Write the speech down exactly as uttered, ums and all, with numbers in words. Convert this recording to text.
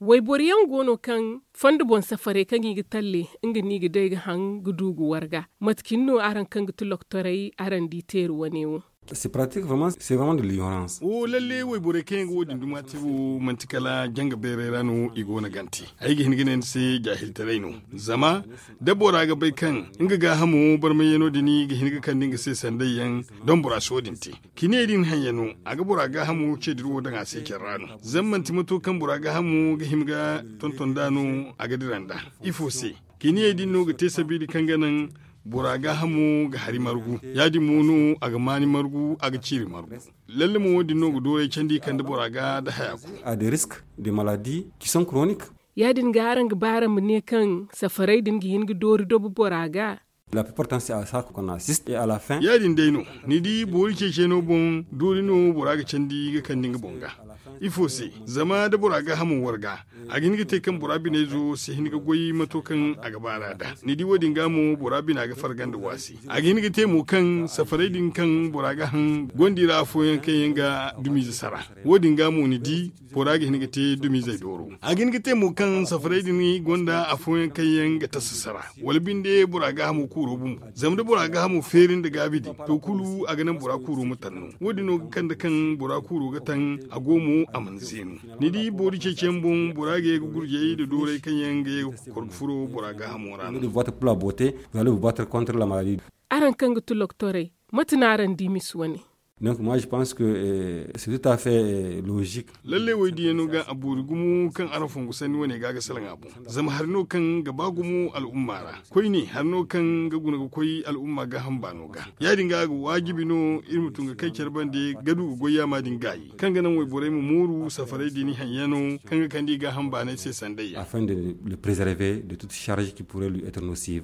Wayboro yaŋ go no kaŋ fondo boŋ safarey kaŋ i ga talle nga no i ga day ga haŋ ga du ga warga. Mate cine no araŋ kaŋ ga ti loktorey araŋ di teeri wane wo? Wo lalle wayborey kaŋ yaŋ ga wo- din duma te wo manti kala janga beerey ra no i go no gante. Ay ga hin ga ne ni se jaahiltaray no. Zama da bora ga bay kaŋ nga gaahamo barmayyaŋo din ga hin ga kande nga se sanday yaŋ, doŋ bora si wo- din te. Cine din haŋ yaŋ no a ga bora gaahamo ce dira wo daŋ a se care ra no. Zama manti mato kaŋ bora gaahamo ga hima ga tonton nd'a no, a ga dira nd'a. Ifo se? Cine din no ga te sabiili kaŋ ga naŋ bora gaahamo ga hari margu. Ya- din mo no a ga maani margu, a ga ciiri margu. Lalle mo wo- din no ga dooray candi kande bora ga nda haya kulu. A de risk de maladi ki son koronik. Ya- din ga araŋ ga ba araŋ ma ne kaŋ safarey din ga hin ga doori dobo bora ga. La piportan se a sa ko kona sist e a la fin. Ya- din day no, ni di boori ceeceno boŋ doori no bora ga candi ga kande nga boŋ ga. Ifo se? Zama da bora gaahamo warga, a ga hin ga te kaŋ bora binayzo si hin ga goy mato kaŋ a ga baar'a nd'a. Ni di wo- din ga mo bora bina ga farga nda waasi. A ga hin ga te mo kaŋ safarey din kaŋ bora ga haŋ gonda i ra afooyaŋ kaŋ yaŋ ga dumiize sara. Wo- din ga mo ni di bora ga hin ga te dumiizey dooro. A ga hin ga te mo kaŋ safarey din gonda afooyaŋ kaŋ yaŋ ga tasa sara, wala binde bora gaahamo kuuro bumbo. Zama da bora gaahamo feeri nda gaabi din, to kulu a ga naŋ bora kuuro ma tanno. Wo- din no ga kande kaŋ bora kuuro ga taŋ, a go mo a mana zeenu. Ni di boori ceeciyaŋ boŋ bora ga ye ga gurjey nda dooray kaŋ yaŋ ga ye ga kor ga furo bora gaahamo ra no. Araŋ kaŋ ga ti loktorey, mate no araŋ di misa wane? Donc moi je pense que c'est tout à fait logique. Lalle wo- din yaŋ no ga a boori gumo kaŋ araŋ fongu sanni wane ga ga salaŋ a boŋ. Zama hari no kaŋ ga ba gumo al'umma ra. Koyne hari no kaŋ ga guna ga koy al'umma gaaham baano ga. Ya- din ga a ga waajibi no iri ma tun ga kay care bande ga du ga goy yaama din gaayi kaŋ ga naŋ wayborey ma mooru safarey din haŋ yaŋo kaŋ ga kande i gaaham baanay se sanday yaŋ. Afin de le préserver de toute charge qui pourrait lui être nocive.